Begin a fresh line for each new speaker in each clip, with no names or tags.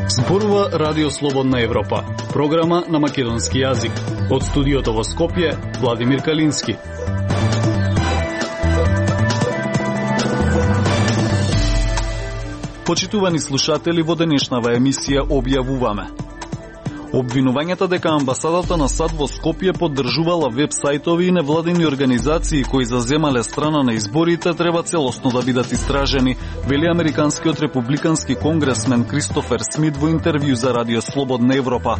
Зборува Радио Слободна Европа, програма на македонски јазик. Од студиото во Скопје, Владимир Калински. Почитувани слушатели, во денешнава емисија објавуваме: обвинувањата дека амбасадата на САД во Скопје поддржувала веб-сајтови и невладини организации кои заземале страна на изборите треба целосно да бидат истражени, вели американскиот републикански конгресмен Кристофер Смит во интервју за Радио Слободна Европа.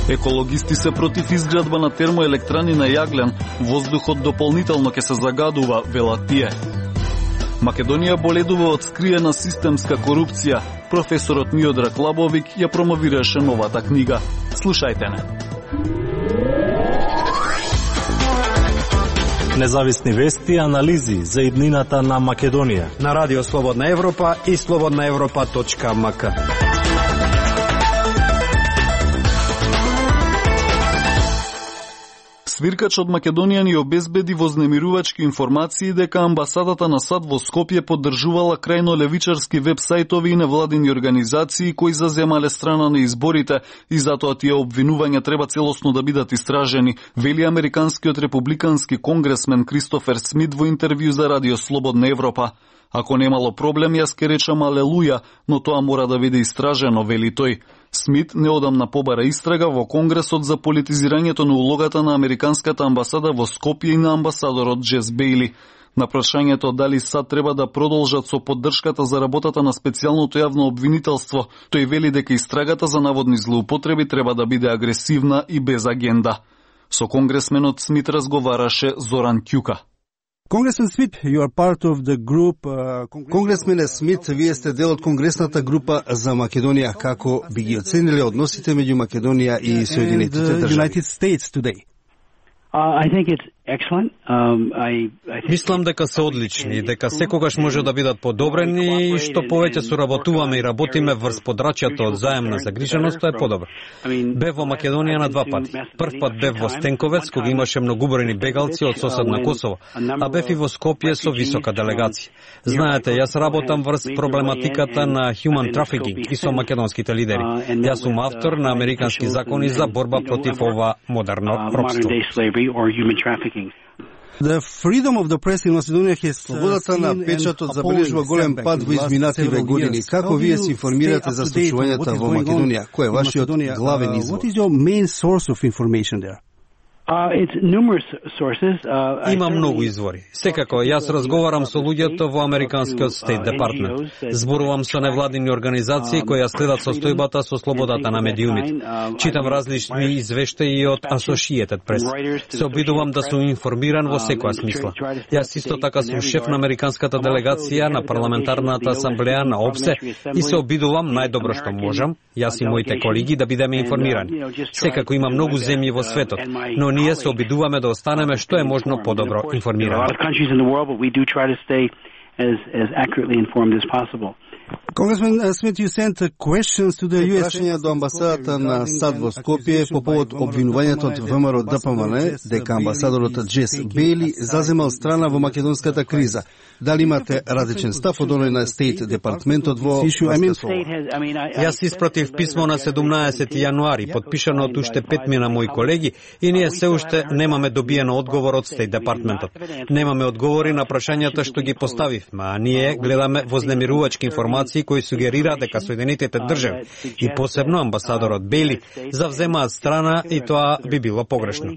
Екологисти се против изградба на термоелектрани на јаглен, воздухот дополнително ќе се загадува, велат тие. Македонија боледува од скриена системска корупција. Професорот Миодраг Лабовик ја промовираше новата книга. Слушајте не.
Независни вести и анализи за иднината на Македонија
на Радио Слободна Европа и slobodnaevropa.mk.
Свиркач од Македонија ни обезбеди вознемирувачки информации дека амбасадата на САД во Скопје поддржувала крајно левичарски веб-сајтови и невладини организации кои заземале страна на изборите и затоа тие обвинувања треба целосно да бидат истражени, вели американскиот републикански конгресмен Кристофер Смит во интервју за Радио Слободна Европа. Ако немало проблем, јас ке речам алелуја, но тоа мора да биде истражено, вели тој. Смит неодамна побара истрага во Конгресот за политизирањето на улогата на американската амбасада во Скопје и на амбасадорот Джес Бејли. На прашањето дали САД треба да продолжат со поддршката за работата на специјалното јавно обвинителство, тој вели дека истрагата за наводни злоупотреби треба да биде агресивна и без агенда. Со конгресменот Смит разговараше Зоран Ќука.
Конгресмен Смит, вие сте дел од Конгресната група за Македонија. Како би ги оцениле односите меѓу Македонија и Соединетите држави?
Мислам дека се одлични, дека секогаш може да бидат подобрени и што повеќе соработуваме и работиме врз подрачјето од заемна загриженост, тоа е подобро. Бев во Македонија на два пати. Прв пат бев во Стенковец, кога имаше многобројни бегалци од соседна Косово, а бев и во Скопје со висока делегација. Знаете, јас работам врз проблематиката на human trafficking и со македонските лидери. Јас сум автор на американски закони за борба против ова модерно робство.
Слободата на печатот забележува голем пад во изминативе години. Како вие се информирате за случувањата во Македонија? Кој е вашиот главен извор?
Има многу извори. Секако, јас разговарам со луѓето во американскиот Стейт Департмент. Зборувам со невладини организации кои ја следат состојбата со слободата на медиумите. Читам различни извештаи од Associated Press. Се обидувам да сум информиран во секоја смисла. Јас исто така сум шеф на американската делегација на парламентарната асамблеја на ОПСЕ и се обидувам најдобро што можам, јас и моите колеги, да бидеме информирани. Секако има многу земји во светот, но ние се обидуваме да останеме што е можно подобро информирани.
Конгресмен Смит, прашања до амбасадата на САД во Скопје по повод обвинувањето од ВМРО ДПМН дека амбасадорот Джес Бејли заземал страна во македонската криза. Дали имате различен став од оној на Стейт Департментот во
Јас испратив писмо на 17 јануари, подпишано од уште 5 мои колеги, и ние се уште немаме добиено одговор од Стейт Департментот. Немаме одговори на прашањата што ги поставивме, а ние гледаме вознемирувачки информации кои сугерираат дека Соединетите држави и посебно амбасадорот Бејли завземаат страна и тоа би било погрешно.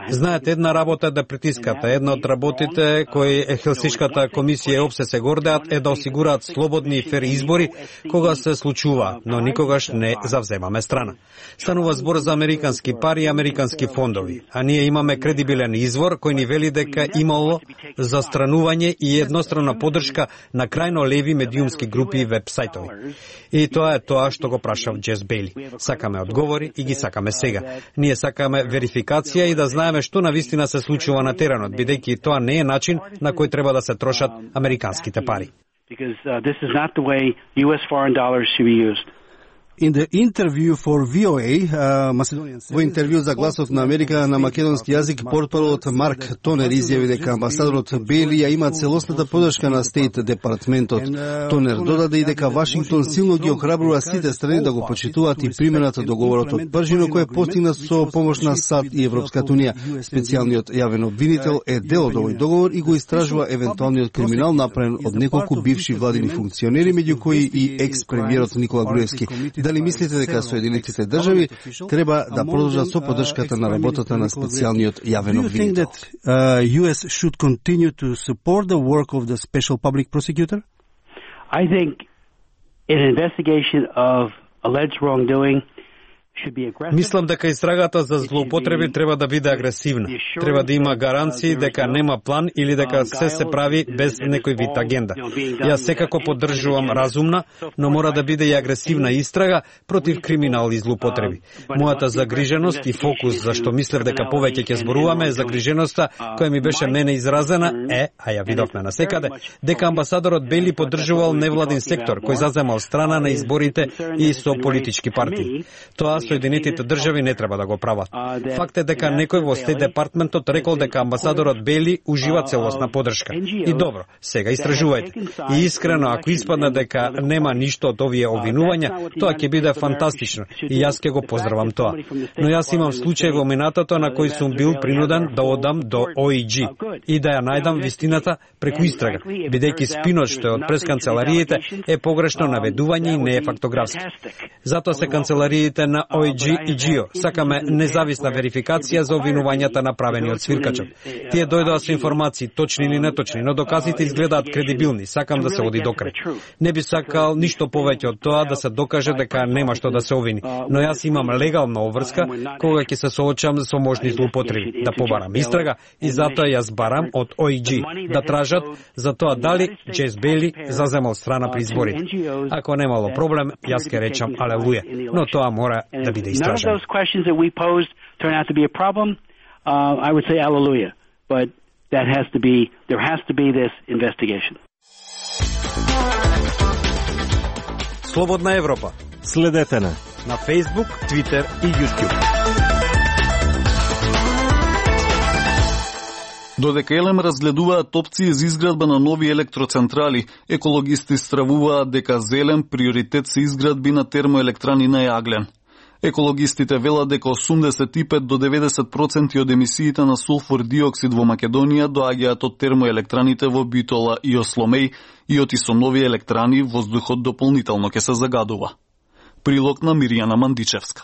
Знаете, една работа е да притискате. Една од работите кои Хелсиншката комисија и ОПСЕ се гордеат е да осигураат слободни и фери избори кога се случува, но никогаш не завземаме страна. Станува збор за американски пари и американски фондови, а ние имаме кредибилен извор кој ни вели дека имало застранување и едностранна поддршка на крајно леви медиумски групи и веб-сајтови. И тоа е тоа што го прашав Джес Бејли. Сакаме одговори и ги сакаме сега. Ние сакаме верификација и да знаеме што навистина се случува на теренот, бидејќи тоа не е начин на кој треба да се трошат американските пари.
In the interview for VOA, во интервју за Гласот на Америка на македонски јазик, портпаролот Марк Тонер изјави дека амбасадорот Бели ја има целосната поддршка на Стейт департментот. Тонер додаде и дека Вашингтон силно ги охрабрува сите страни да го почитуваат и применат договорот од Пржино кој е постигнат со помош на САД и Европската унија. Специјалниот јавен обвинител е дел од овој договор и го истражува евентуалниот криминал направен од неколку бивши владини функционери, меѓу кои и екс-премиерот Никола Груевски. Дали мислите дека Соединетите држави треба да продолжат со поддршката на работата на специјалниот јавен обвинител? US should continue to support the work of the special public prosecutor?
I think an investigation of alleged wrongdoing
Мислам дека истрагата за злоупотреби треба да биде агресивна. Треба да има гаранции дека нема план или дека се прави без некој вид агенда. Јас секако поддржувам разумна, но мора да биде и агресивна истрага против криминал и злоупотреби. Мојата загриженост и фокус за што мислев дека повеќе ќе зборуваме е загриженоста која ми беше мене изразена а ја видовме насекаде, дека амбасадорот Бели поддржувал невладин сектор кој заземал страна на изборите и со политички партии. Тоа Соединетите држави не треба да го прават. Факт е дека некој во Стейт департментот рекол дека амбасадорот Бели ужива целосна поддршка. И добро, сега истражувајте. И искрено, ако испадне дека нема ништо од овие обвинувања, тоа ќе биде фантастично и јас ќе го поздравам тоа. Но јас имам случај во минатото на кој сум бил принуден да одам до OEG и да ја најдам вистината преку истрага, бидејќи спинот што е од пресканцелариите е погрешно наведување и не е фактографски. Затоа се канцелариите на OEG и GIO сакаме независна верификација за обвинувањата направени од свиркачот. Тие дојдоа со информации, точни или неточни, но доказите изгледаат кредибилни. Сакам да се оди докрај. Не би сакал ништо повеќе од тоа да се докаже дека нема што да се обвини. Но јас имам легална обврска кога ќе се соочам со можни злоупотреби, да побарам истрага и затоа јас барам од OEG да тражат за тоа дали Джес Бели заземал страна при изборите. Ако немало проблем, јас ќе речам алелуја, но тоа мора да биде истражено.
None of those questions that we posed turn out to be a problem. I would say hallelujah, but there has to be this investigation.
Слободна Европа.
Следете на
Facebook, Twitter и YouTube.
Додека Елем разгледуваат опции за изградба на нови електроцентрали, екологисти стравуваат дека за Елем приоритет се изградби на термоелектрани на јаглен. Екологистите велат дека 85 до 90% од емисиите на сулфур диоксид во Македонија доаѓаат од термоелектраните во Битола и Осломеј и оти со нови електрани воздухот дополнително ќе се загадува. Прилог на Мирјана Мандичевска.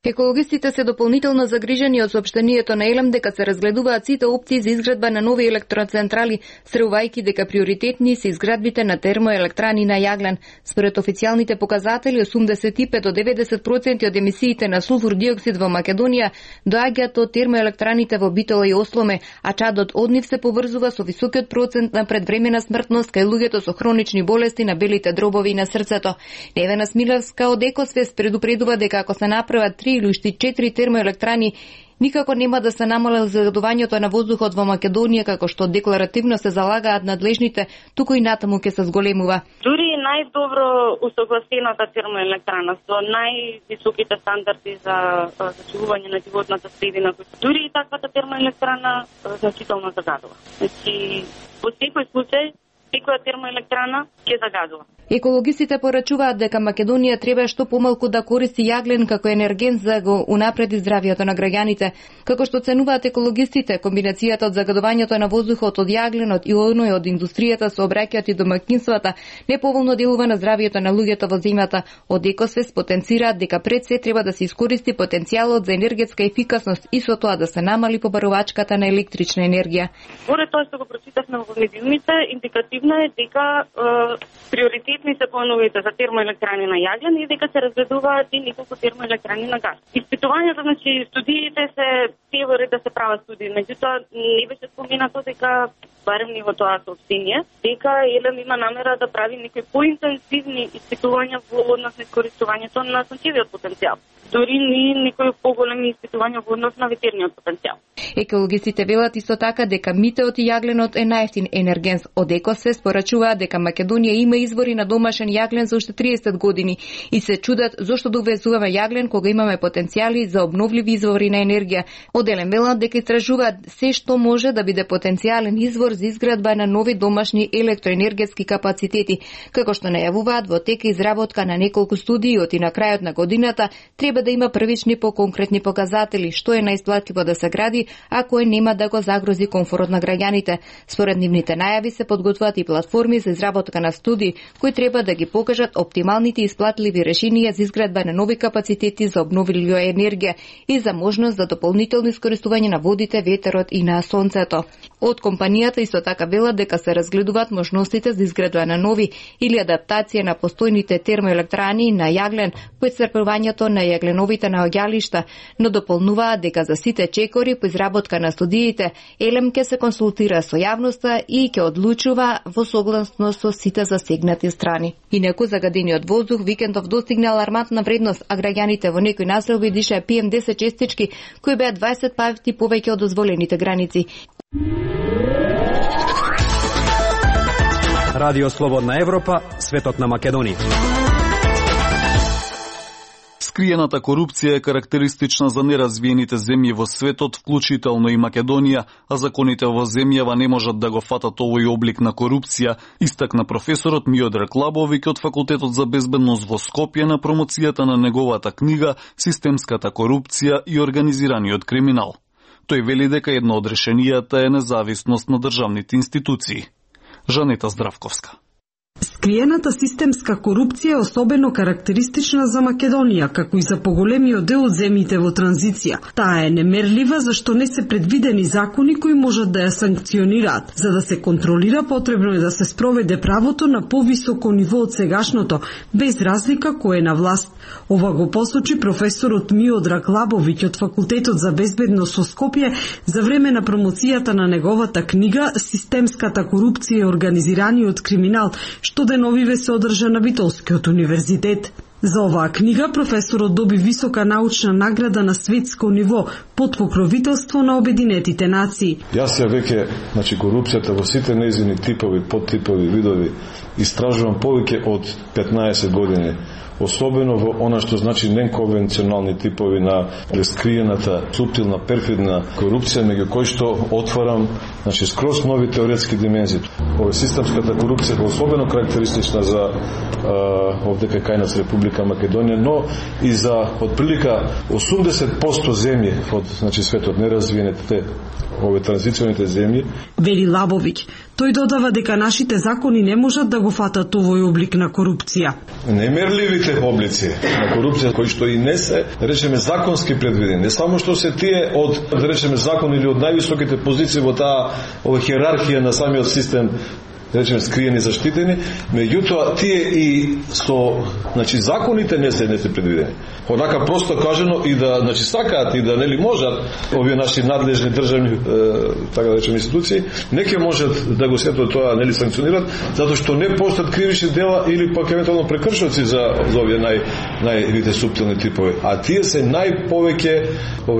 Екологистите се дополнително загрижени од соопштението на Елем дека се разгледуваат сите опции за изградба на нови електроцентрали, среувајќи дека приоритетни се изградбите на термоелектрани на јаглен. Според официјалните показатели, 85 до 90% од емисиите на сулфур диоксид во Македонија доаѓаат од термоелектраните во Битола и Осломе, а чадот од нив се поврзува со високиот процент на предвремена смртност кај луѓето со хронични болести на белите дробови и на срцето. Невена Смилевска од Екосвест предупредува дека ако се направат 3 или уште 4 термоелектрани, никако нема да се намали загадувањето на воздухот во Македонија, како што декларативно се залагаат надлежните, туку и натаму ќе се зголемува.
Дури најдобро усогласената термоелектрана со највисоките стандарди за зачувување на животната средина, дури и таквата термоелектрана значително загадува. Значи, во секој случај, секоја термоелектрана ќе загадува.
Екологистите порачуваат дека Македонија треба што помалку да користи јаглен како енергент за го унапреди здравието на граѓаните. Како што ценуваат екологистите, комбинацијата од загадувањето на воздухот од јагленот и оној од индустријата со обраќајот и домаќинствата неповолно делува на здравието на луѓето во земјата. Од Екосвест потенцираат дека пред се треба да се искористи потенцијалот за енергетска ефикасност и со тоа да се намали побарувачката на електрична енергија.
Според тоа што го прочитавме во медиумите, индикативно е дека приоритетни се плановите за термоелектрани на јаглен и дека се разгледуваат и неколку термоелектрани на газ. Испитувањето, значи студиите се теорија да се прават студии, меѓутоа не беше споменато дека барем ни во тоа сообщение, дека Елем има намера да прави некои поинтензивни испитувања во однос на искористувањето на сончевиот потенцијал. Дори ни некои поголеми испитувања во однос на ветерниот потенцијал.
Екологистите велат исто така дека митеот и јагленот е најевтин енергенс. Од Екосвест порачуваат дека Македонија има извори на домашен јаглен за уште 30 години и се чудат зошто да увезуваме јаглен кога имаме потенцијали за обновливи извори на енергија. Од Елем велат дека истражуваат се што може да биде потенцијален извор за изградба на нови домашни електроенергетски капацитети. Како што најавуваат, во тек изработка на неколку студии и на крајот на годината треба да има првични поконкретни показатели што е најисплатливо да се гради, а кој нема да го загрози комфорот на граѓаните. Според нивните најави се подготвуваат и платформи за изработка на студии кои треба да ги покажат оптималните исплатливи решенија за изградба на нови капацитети за обновлива енергија и за можност за дополнително искористување на водите, ветерот и на сонцето. Од компанијата исто така велат дека се разгледуваат можностите за изградба на нови или адаптација на постојните термоелектрани на јаглен по исцрпувањето на јагленовите наоѓалишта, но дополнуваат дека за сите чекори по изработка на студиите Елем ќе се консултира со јавноста и ќе одлучува во согласност со сите засегнати страни. Инаку загадениот воздух викендов достигна алармантна вредност, а граѓаните во некои населби дишаа PM10 честички кои беа 20 пати повеќе од дозволените граници.
Радио Слободна Европа, светот на Македонија.
Скриената корупција е карактеристична за неразвиените земји во светот, вклучително и Македонија, а законите во земјава не можат да го фатат овој облик на корупција, истакна професорот Миодраг Лабовиќ од Факултетот за безбедност во Скопје на промоцијата на неговата книга «Системската корупција и организираниот криминал». Тој вели дека едно од решенијата е независност на државните институции. Жанета Здравковска.
Скриената системска корупција е особено карактеристична за Македонија, како и за поголемиот дел од земјите во транзиција. Таа е немерлива зашто не се предвидени закони кои можат да ја санкционираат. За да се контролира, потребно е да се спроведе правото на повисоко ниво од сегашното, без разлика кој е на власт. Ова го посочи професорот Миодраг Лабовиќ од Факултетот за безбедност во Скопје за време на промоцијата на неговата книга «Системската корупција и организираниот криминал», што деновиве се одржа на Битолскиот универзитет. За оваа книга професорот доби висока научна награда на светско ниво под покровителство на Обединетите нации.
Јас ја веќе, корупцијата во сите нејзини типови, подтипови, видови истражувам повеќе од 15 години. Особено во она што значи неконвенционални типови на скриената, суптилна, перфидна корупција, меѓу кои што отварам скроз нови теоретски димензии. Ова системската корупција е особено карактеристична за овдека кај нас Република Македонија, но и за отприлика 80% земји од светот, неразвиените, овие транзиционите земји.
Вели Лабовиќ. Тој додава дека нашите закони не можат да го фатат овој облик на корупција.
Немерливите облици на корупција кои што и не се, речеме, законски предвидени, не само што се тие од, да речеме, закон или од највисоките позиции во таа ова хиерархија на самиот систем, речеме, скриени, заштитени, меѓутоа тие и со, законите не се предвидени. Онака просто кажано и да, сакаат и да нели можат овие наши надлежни државни, така да речеме, институции, не ќе можат да го сето тоа нели санкционират, затоа што не постојат кривични дела или пак евентуално прекршоци за овие највите суптилни типови, а тие се најповеќе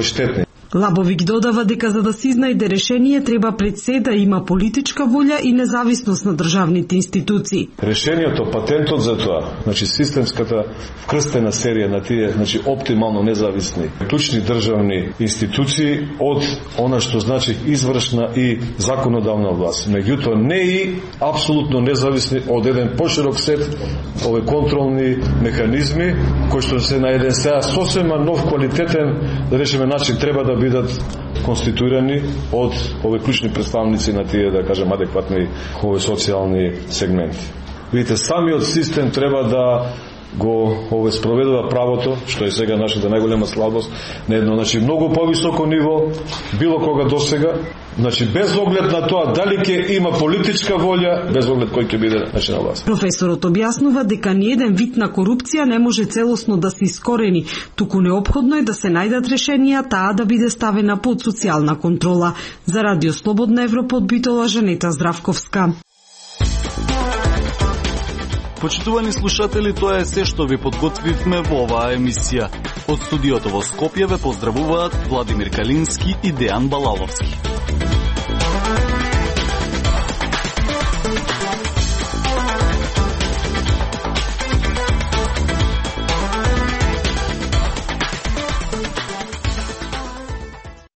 штетни.
Лабовиќ додава дека за да се изнајде решение треба пред се да има политичка волја и независност на државните институции.
Решението, патентот за тоа, системската вкрстена серија на тие, оптимално независни клучни државни институции од она што значи извршна и законодавна власт. Меѓутоа не и апсолутно независни од еден поширок сет овие контролни механизми кои што се на еден сега сосема нов квалитетен, да речеме, начин треба да бидат конституирани од овие клучни представници на тие, да кажем, адекватни овие социјални сегменти. Видите, самиот систем треба да го спроведува правото, што е сега нашата најголема слабост, на едно многу повисоко ниво било кога досега, без оглед на тоа дали ќе има политичка волја, без оглед кој ќе биде на власт.
Професорот објаснува дека ниеден вид на корупција не може целосно да се искорени, туку неопходно е да се најдат решенија таа да биде ставена под социјална контрола. За Радио Слободна Европа од Битола, Жанета Здравковска.
Почитувани слушатели, тоа е се што ви подготвивме во оваа емисија. Од студиото во Скопје ве поздравуваат Владимир Калински и Дејан Балаловски.